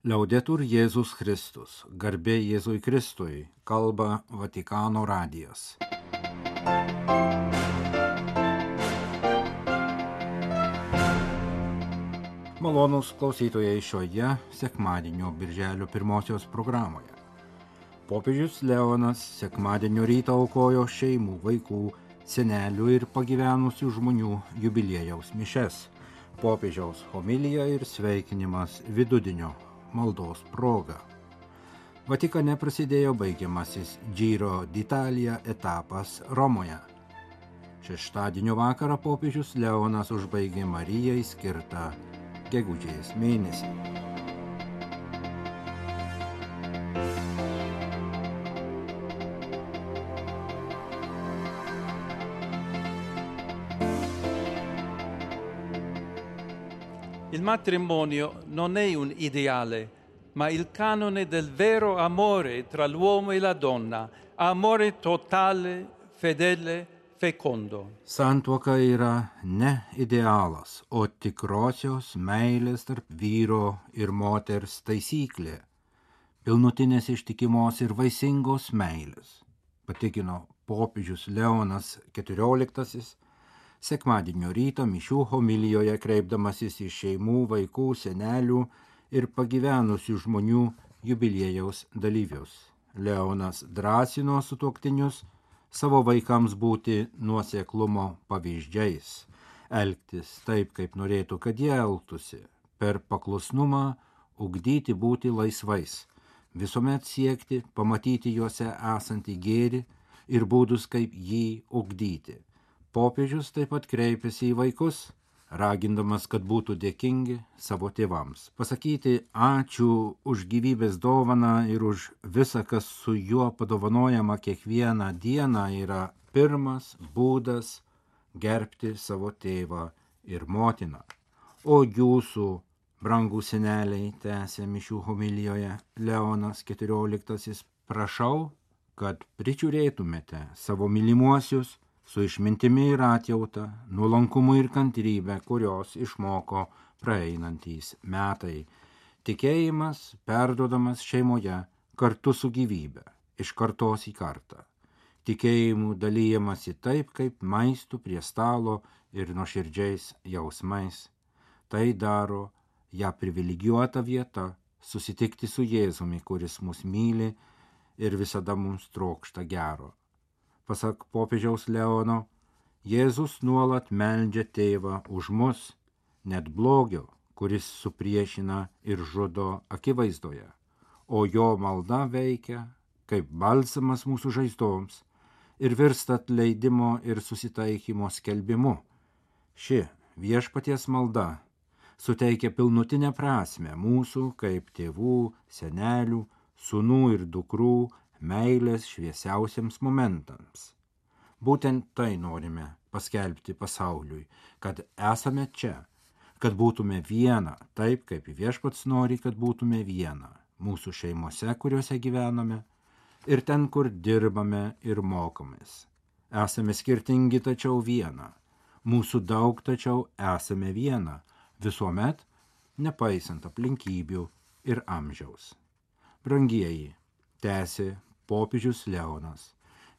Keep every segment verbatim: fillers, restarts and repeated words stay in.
Liaudetur Jėzus Kristus, garbė Jėzui Kristui, kalba Vatikano radijas. Malonūs klausytojai šioje sekmadienio birželio pirmosios programoje. Popiežius Leonas sekmadienio rytą aukojo šeimų, vaikų, senelių ir pagyvenusių žmonių jubiliejaus mišes. Popiežiaus homilija ir sveikinimas vidudienio maldos proga. Vatikane prasidėjo baigiamasis Giro d'Italia etapas Romoje. Šeštadienio vakarą popiežius Leonas užbaigė Marijai skirtą gegužės mėnesį. Il matrimonio non è un ideale, ma il canone del vero amore tra l'uomo e la donna, amore totale, fedele, fecondo. Santuoka yra ne idealas, o tikrosios meilės tarp vyro ir moters taisyklė, pilnutinės ištikimos ir vaisingos meilės, patikino popiežius Leonas keturioliktasis, sekmadienio rytą mišių homilijoje kreipdamasis į šeimų, vaikų, senelių ir pagyvenusių žmonių jubiliejaus dalyvius. Leonas drąsino sutuoktinius savo vaikams būti nuoseklumo pavyzdžiais, elgtis taip, kaip norėtų, kad jie elgtųsi, per paklusnumą ugdyti būti laisvais, visuomet siekti pamatyti juose esantį gėrį ir būdus, kaip jį ugdyti. Popiežius taip pat kreipėsi į vaikus, ragindamas, kad būtų dėkingi savo tėvams. Pasakyti ačiū už gyvybės dovaną ir už visą, kas su juo padovanojama kiekvieną dieną, yra pirmas būdas gerbti savo tėvą ir motiną. O jūsų, brangų seneliai, tęsė mišių homilijoje Leonas keturioliktasis, prašau, kad prižiūrėtumėte savo mylimuosius su išmintimi ir atjauta, nuolankumu ir kantrybė, kurios išmoko praeinantys metai. Tikėjimas perduodamas šeimoje kartu su gyvybe, iš kartos į kartą. Tikėjimu dalyjamasi taip, kaip maistu prie stalo ir nuoširdžiais jausmais. Tai daro ją privilegijuota vieta susitikti su Jėzumi, kuris mus myli ir visada mums trokšta gero. Pasak popiežiaus Leono, Jėzus nuolat meldžia tėvą už mus, net blogio, kuris supriešina ir žudo akivaizdoje, o jo malda veikia kaip balsamas mūsų žaizdoms ir virsta atleidimo ir susitaikymo skelbimu. Ši viešpaties malda suteikia pilnutinę prasmę mūsų kaip tėvų, senelių, sūnų ir dukrų meilės šviesiausiems momentams. Būtent tai norime paskelbti pasauliui, kad esame čia, kad būtume viena, taip kaip viešpats nori, kad būtume viena, mūsų šeimose, kuriuose gyvename, ir ten, kur dirbame ir mokomės. Esame skirtingi, tačiau viena, mūsų daug, tačiau esame viena, visuomet, nepaisant aplinkybių ir amžiaus. Brangieji, tęsė popiežius Leonas,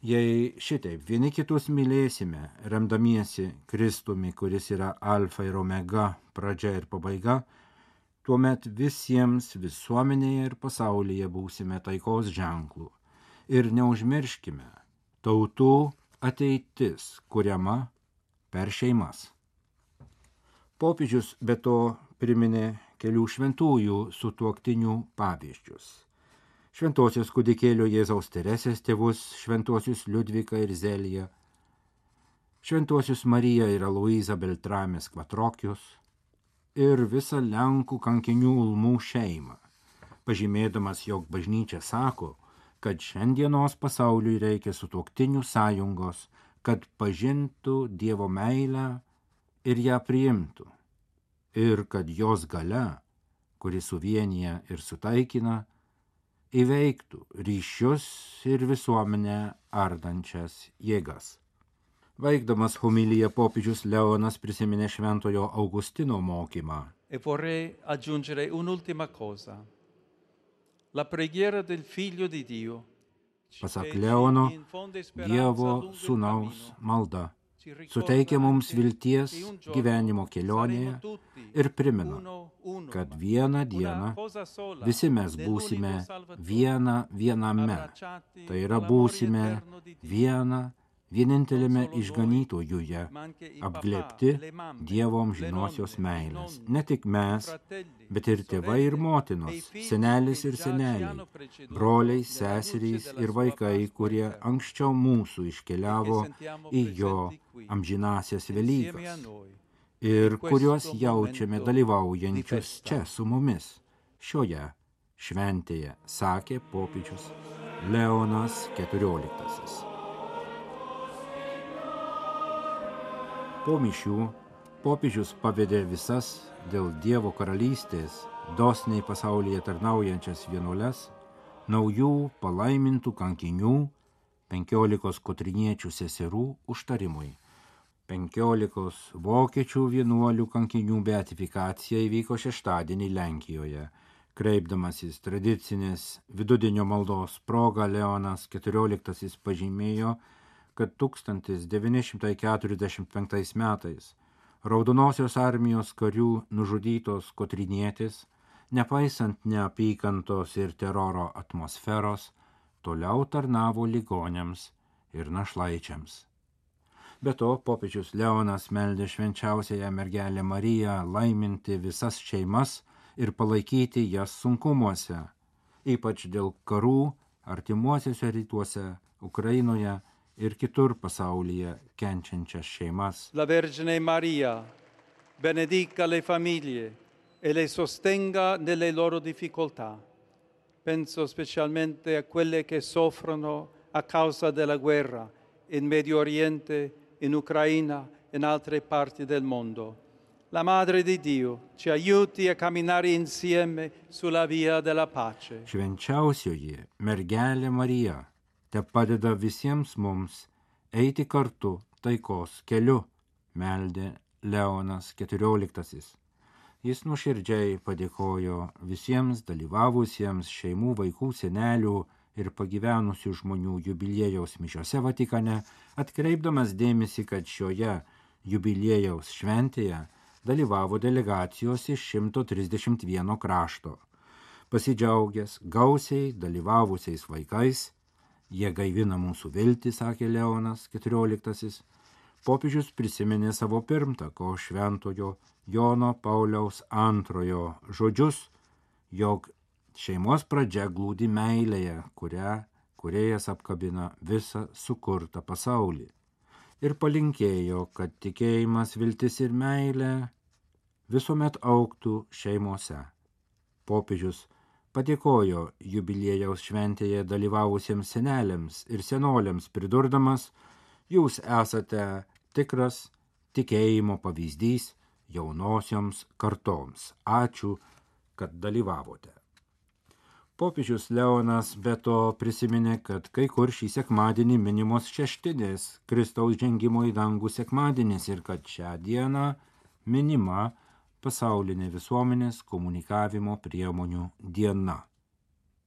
jei šitaip vieni kitus mylėsime, remdamiesi Kristumi, kuris yra alfa ir omega, pradžia ir pabaiga, tuomet visiems visuomenėje ir pasaulyje būsime taikos ženklų. Ir neužmirškime, tautų ateitis kuriama per šeimas. Popiežius be to priminė kelių šventųjų sutuoktinių pavyzdžius. Šventosios kūdikėlio Jėzaus Teresės tėvus, šventosius Liudviką ir Zeliją, šventosius Mariją ir Aloyzą Beltramės Kvatrokius ir visą Lenkų kankinių Ulmų šeimą, pažymėdamas, jog bažnyčia sako, kad šiandienos pasauliui reikia sutuoktinių sąjungos, kad pažintų Dievo meilę ir ją priimtų, ir kad jos galia, kuri suvienyje ir sutaikina, įveiktų ryšius ir visuomenę ardančias jėgas. Baigdamas homiliją popiežius Leonas prisiminė šventojo Augustino mokymą. E vorrei aggiungere un'ultima cosa. la preghiera del Figlio di Dio. Pasak Leono, Dievo sūnaus malda suteikia mums vilties gyvenimo kelionėje ir primena, kad vieną dieną visi mes būsime viena viename, tai yra būsime viena vienintelėme išganytojuje, apglėbti Dievo amžinosios meilės. Ne tik mes, bet ir tėvai ir motinos, senelis ir seneliai, broliai, seserys ir vaikai, kurie anksčiau mūsų iškeliavo į jo amžinasias Velykas ir kuriuos jaučiame dalyvaujančius čia su mumis šioje šventėje, sakė popiežius Leonas keturioliktasis. Po mišių popiežius pavedė visas dėl Dievo karalystės dosniai pasaulyje tarnaujančias vienuoles, naujų palaimintų kankinių, penkiolikos kotriniečių seserų užtarimui. Penkiolikos vokiečių vienuolių kankinių beatifikacija įvyko šeštadienį Lenkijoje. Kreipdamasis tradicinės vidudienio maldos proga, Leonas keturioliktasis pažymėjo, kad tūkstantis devyni šimtai keturiasdešimt penktais metais Raudonosios armijos karių nužudytos kotrinietės, nepaisant neapykantos ir teroro atmosferos, toliau tarnavo ligoniams ir našlaičiams. Be to, popiežius Leonas meldė švenčiausiąją mergelę Mariją laiminti visas šeimas ir palaikyti jas sunkumuose, ypač dėl karų artimuosiuose rytuose, Ukrainoje ir kitur pasaulyje kenčiančias šeimas. La Vergine Maria benedica le famiglie e le sostenga nelle loro difficoltà. Penso specialmente a quelle che soffrono a causa della guerra in Medio Oriente, in Ucraina e in altre parti del mondo. La Madre di Dio ci aiuti a camminare insieme sulla via della pace. Švenčiausioji mergelė Marija te padeda visiems mums eiti kartu taikos keliu, meldė Leonas keturioliktasis. Jis nuoširdžiai padėkojo visiems dalyvavusiems šeimų, vaikų, senelių ir pagyvenusių žmonių jubiliejaus mišiose Vatikane, atkreipdamas dėmesį, kad šioje jubiliejaus šventėje dalyvavo delegacijos iš šimto trisdešimt vieno krašto. Pasidžiaugęs gausiai dalyvavusiais vaikais, jie gaivina mūsų viltį, sakė Leonas keturioliktasis. Popiežius prisiminė savo pirmtako šventojo Jono Pauliaus antrojo žodžius, jog šeimos pradžia glūdi meilėje, kurią kūrėjas apkabina visą sukurtą pasaulį. Ir palinkėjo, kad tikėjimas, viltis ir meilė visuomet augtų šeimose. Popiežius padėkojo jubiliejaus šventėje dalyvavusiems seneliams ir senoliams, pridurdamas, jūs esate tikras tikėjimo pavyzdys jaunosioms kartoms. Ačiū, kad dalyvavote. Popiežius Leonas be to prisiminė, kad kai kur šį sekmadienį minimos šeštinės Kristaus žengimo į dangų sekmadienis ir kad šią dieną minima pasaulinė visuomenės komunikavimo priemonių diena.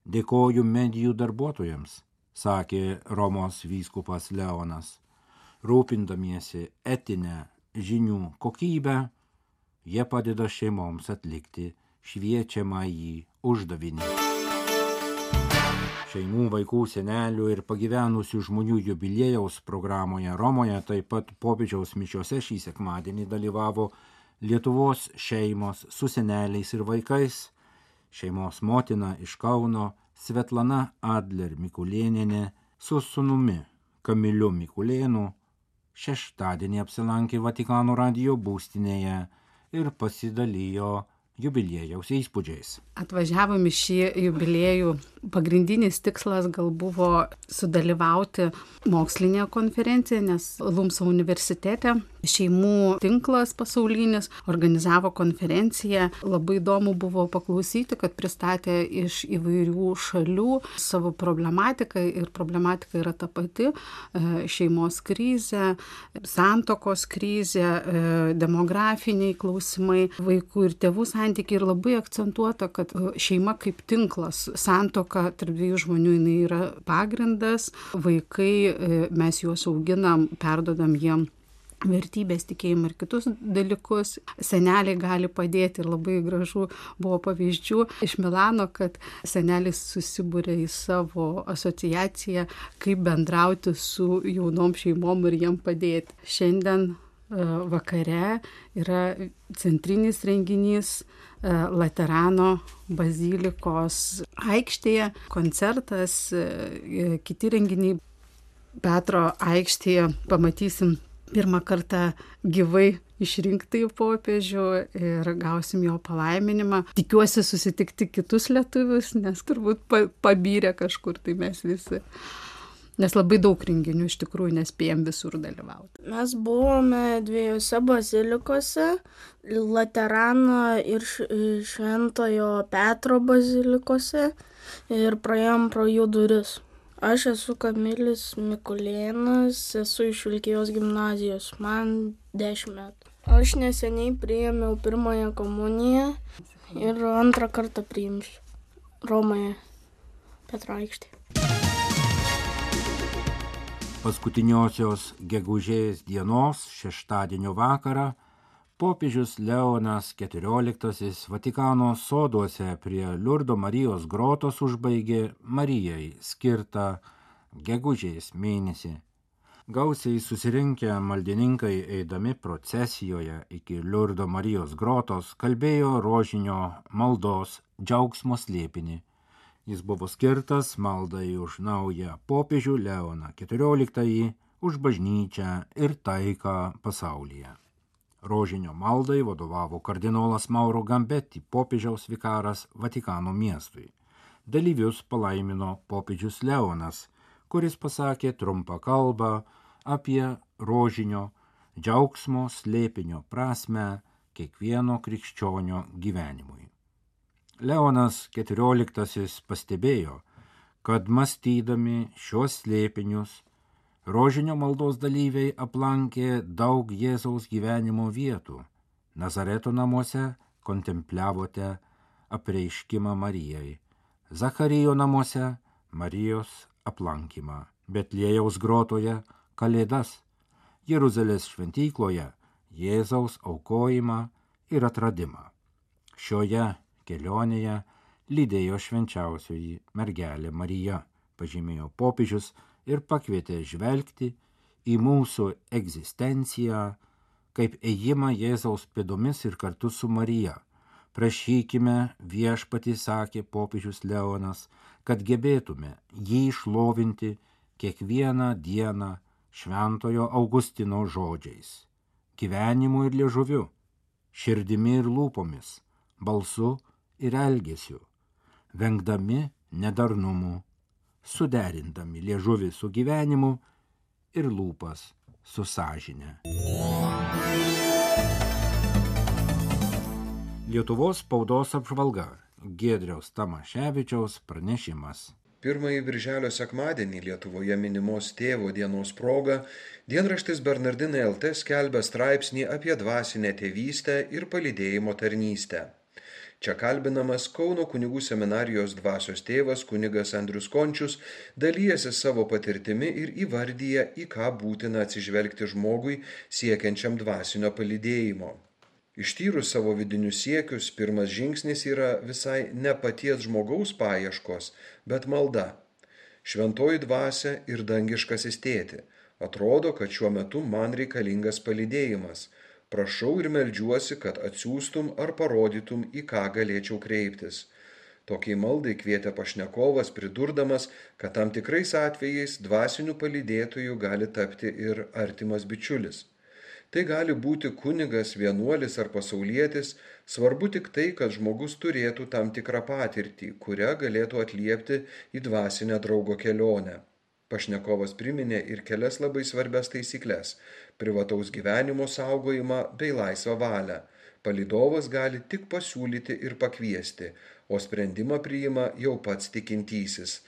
Dėkoju medijų darbuotojams, sakė Romos vyskupas Leonas. Rūpindamiesi etinę žinių kokybę, jie padeda šeimoms atlikti šviečiamąjį uždavinį. Šeimų, vaikų, senelių ir pagyvenusių žmonių jubiliejaus programoje Romoje taip pat popiežiaus mišiose šį sekmadienį dalyvavo Lietuvos šeimos su seneliais ir vaikais, šeimos motina iš Kauno Svetlana Adler Mikulėnienė su sūnumi Kamiliu Mikulėnu šeštadienį apsilankė Vatikano radijo būstinėje ir pasidalijo jubiliejaus įspūdžiais. Atvažiavom į šį jubiliejų. Pagrindinis tikslas gal buvo sudalyvauti mokslinėje konferencijoje, nes Lumso universitete šeimų tinklas pasaulinis organizavo konferenciją. Labai įdomu buvo paklausyti, kad pristatė iš įvairių šalių savo problematiką ir problematika yra ta pati - šeimos krizė, santuokos krizė, demografiniai klausimai, vaikų ir tėvų santykiai ir labai akcentuota, kad šeima kaip tinklas, santuoka tarp dviejų žmonių jinai yra pagrindas, vaikai mes juos auginam, perdodam jiem vertybės, tikėjimą ir kitus dalykus. Seneliai gali padėti ir labai gražu buvo pavyzdžių iš Milano, kad senelis susibūrė į savo asociaciją, kaip bendrauti su jaunom šeimom ir jiem padėti. Šiandien vakare yra centrinis renginys Laterano bazilikos aikštėje, koncertas, kiti renginiai. Petro aikštėje pamatysim pirmą kartą gyvai išrinktąjį popiežių ir gausim jo palaiminimą. Tikiuosi susitikti kitus lietuvius, nes turbūt pabyrė kažkur tai mes visi. Nes labai daug renginių iš tikrųjų nespėjom visur dalyvauti. Mes buvome dviejose bazilikose, Laterano ir Šventojo Petro bazilikose ir praėjom pro jų duris. Aš esu Kamilis Mikulėnas, esu iš Vilkijos gimnazijos, man dešimt metų. Aš neseniai priėmiau pirmąją komuniją ir antrą kartą priimsiu Romoje, Petro aikštėje. Paskutiniosios gegužės dienos šeštadienio vakarą popiežius Leonas keturioliktasis Vatikano soduose prie Liurdo Marijos grotos užbaigė Marijai skirtą gegužės mėnesį. Gausiai susirinkę maldininkai eidami procesijoje iki Liurdo Marijos grotos kalbėjo rožinio maldos džiaugsmo slėpinį. Jis buvo skirtas maldai už naują popiežių Leoną keturioliktąjį, už bažnyčią ir taiką pasaulyje. Rožinio maldai vadovavo kardinolas Mauro Gambetti, popiežiaus vikaras Vatikano miestui. Dalyvius palaimino popiežius Leonas, kuris pasakė trumpą kalbą apie rožinio džiaugsmo slėpinio prasmę kiekvieno krikščionio gyvenimui. Leonas keturioliktasis pastebėjo, kad mąstydami šios slėpinius rožinio maldos dalyviai aplankė daug Jėzaus gyvenimo vietų. Nazareto namuose kontempliavote apreiškimą Marijai, Zacharijo namuose Marijos aplankymą, Betliejaus grotoje Kalėdas, Jeruzalės šventykloje Jėzaus aukojimą ir atradimą. Šioje kelionėje lydėjo švenčiausioji mergelė Marija, pažymėjo popiežius ir pakvietė žvelgti į mūsų egzistenciją kaip ėjimą Jėzaus pėdomis ir kartu su Marija. Prašykime viešpatį, sakė popiežius Leonas, kad gebėtume jį šlovinti kiekvieną dieną šventojo Augustino žodžiais, gyvenimu ir liežuviu, širdimi ir lūpomis, balsu ir elgesiu, vengdami nedarnumų, suderindami liežuvį su gyvenimu ir lūpas su sąžine. Lietuvos spaudos apžvalga. Giedriaus Tamaševičiaus pranešimas. Pirmąjį birželio sekmadienį Lietuvoje minimos tėvo dienos proga dienraštis Bernardinai L T skelbia straipsnį apie dvasinę tėvystę ir palydėjimo tarnystę. Čia kalbinamas Kauno kunigų seminarijos dvasios tėvas kunigas Andrius Končius dalyjasi savo patirtimi ir įvardyja, į ką būtina atsižvelgti žmogui siekiančiam dvasinio palydėjimo. Ištyrus savo vidinius siekius, pirmas žingsnis yra visai ne paties žmogaus paieškos, bet malda. Šventoji dvasia ir dangiškasis tėti. Atrodo, kad šiuo metu man reikalingas palydėjimas. Prašau ir meldžiuosi, kad atsiųstum ar parodytum, į ką galėčiau kreiptis. Tokiai maldai kvietė pašnekovas, pridurdamas, kad tam tikrais atvejais dvasiniu palydėtoju gali tapti ir artimas bičiulis. Tai gali būti kunigas, vienuolis ar pasaulietis, svarbu tik tai, kad žmogus turėtų tam tikrą patirtį, kurią galėtų atliepti į dvasinę draugo kelionę. Pašnekovas priminė ir kelias labai svarbias taisyklės – privataus gyvenimo saugojimą bei laisvą valią. Palydovas gali tik pasiūlyti ir pakviesti, o sprendimą priima jau pats tikintysis,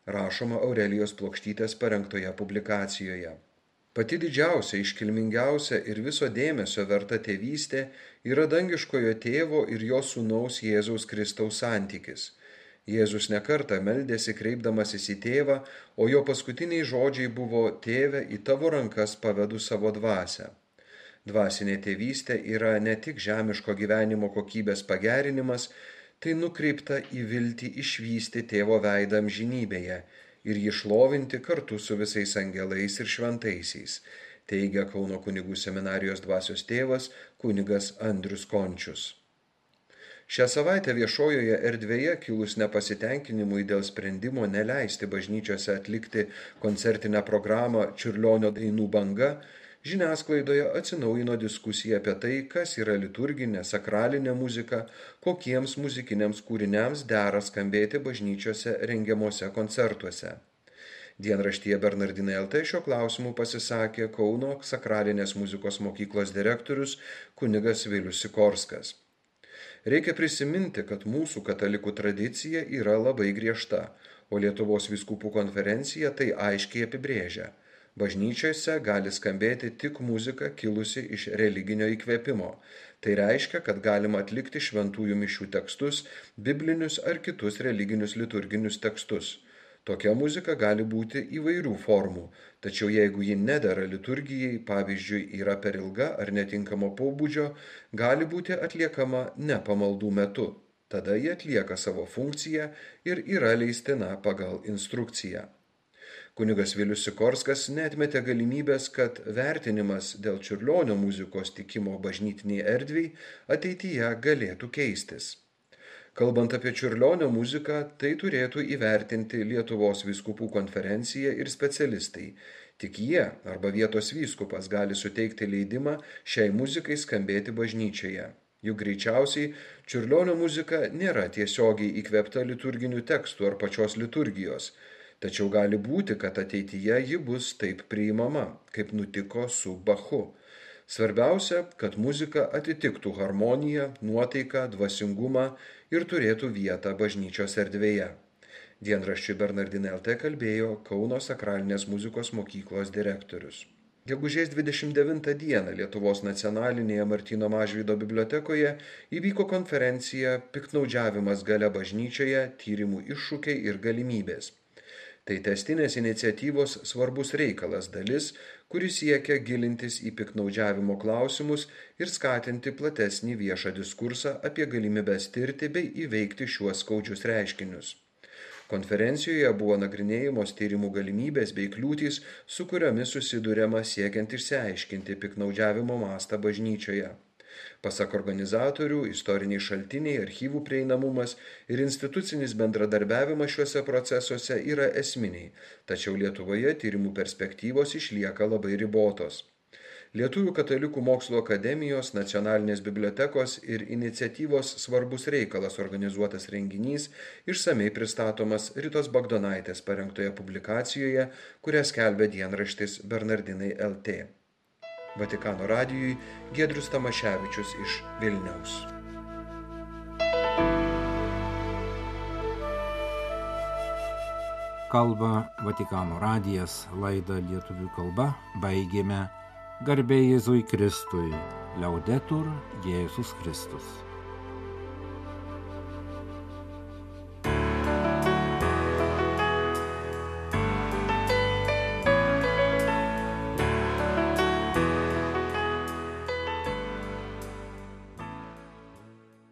rašoma Aurelijos Plokštytės parengtoje publikacijoje. Pati didžiausia, iškilmingiausia ir viso dėmesio verta tėvystė yra dangiškojo tėvo ir jo sūnaus Jėzaus Kristaus santykis. Jėzus nekartą meldėsi kreipdamasis į tėvą, o jo paskutiniai žodžiai buvo: Tėve, į tavo rankas pavedu savo dvasią. Dvasinė tėvystė yra ne tik žemiško gyvenimo kokybės pagerinimas, tai nukreipta į viltį išvysti tėvo veidą amžinybėje ir jį šlovinti kartu su visais angelais ir šventaisiais, teigia Kauno kunigų seminarijos dvasios tėvas kunigas Andrius Končius. Šią savaitę viešojoje erdvėje kilus nepasitenkinimui dėl sprendimo neleisti bažnyčiose atlikti koncertinę programą Čiurlionio dainų banga, žiniasklaidoje atsinaujino diskusija apie tai, kas yra liturginė, sakralinė muzika, kokiems muzikiniams kūriniams dera skambėti bažnyčiose rengiamuose koncertuose. Dienraštyje Bernardinai L T šio klausimu pasisakė Kauno sakralinės muzikos mokyklos direktorius kunigas Vilius Sikorskas. Reikia prisiminti, kad mūsų katalikų tradicija yra labai griežta, o Lietuvos vyskupų konferencija tai aiškiai apibrėžia. Bažnyčiose gali skambėti tik muzika kilusi iš religinio įkvėpimo. Tai reiškia, kad galima atlikti šventųjų mišių tekstus, biblinius ar kitus religinius liturginius tekstus. Tokia muzika gali būti įvairių formų, tačiau jeigu ji nedera liturgijai, pavyzdžiui, yra per ilga ar netinkamo pobūdžio, gali būti atliekama ne pamaldų metu. Tada ji atlieka savo funkciją ir yra leistina pagal instrukciją. Kunigas Vilius Sikorskas neatmetė galimybės, kad vertinimas dėl Čiurlionio muzikos tikimo bažnytiniai erdviai ateityje galėtų keistis. Kalbant apie Čiurlionio muziką, tai turėtų įvertinti Lietuvos vyskupų konferencija ir specialistai. Tik jie arba vietos vyskupas gali suteikti leidimą šiai muzikai skambėti bažnyčioje. Juk greičiausiai Čiurlionio muzika nėra tiesiogiai įkvėpta liturginių tekstų ar pačios liturgijos. Tačiau gali būti, kad ateityje ji bus taip priimama, kaip nutiko su Bachu. Svarbiausia, kad muzika atitiktų harmoniją, nuotaiką, dvasingumą ir turėtų vietą bažnyčios erdvėje. Dienraščiui Bernardinai L T kalbėjo Kauno sakralinės muzikos mokyklos direktorius. Gegužės dvidešimt devintą dieną Lietuvos nacionalinėje Martyno Mažvydo bibliotekoje įvyko konferencija Piktnaudžiavimas galia bažnyčioje, tyrimų iššūkiai ir galimybės. Tai tęstinės iniciatyvos svarbus reikalas dalis, kuris siekia gilintis į piktnaudžiavimo klausimus ir skatinti platesnį viešą diskursą apie galimybes tirti bei įveikti šiuos skaudžius reiškinius. Konferencijoje buvo nagrinėjamos tyrimų galimybės bei kliūtys, su kuriomis susiduriama siekiant išsiaiškinti piktnaudžiavimo mastą bažnyčioje. Pasak organizatorių, istoriniai šaltiniai, archyvų prieinamumas ir institucinis bendradarbiavimas šiuose procesuose yra esminiai, tačiau Lietuvoje tyrimų perspektyvos išlieka labai ribotos. Lietuvių katalikų mokslo akademijos, nacionalinės bibliotekos ir iniciatyvos svarbus reikalas organizuotas renginys išsamei pristatomas Ritos Bagdonaitės parengtoje publikacijoje, kurią skelbia dienraštis Bernardinai L T. Vatikano radijui Giedrius Tamaševičius iš Vilniaus. Kalba Vatikano radijas, laidą lietuvių kalba baigėme. Garbė Jėzui Kristui, Liaudetur Jėzus Kristus.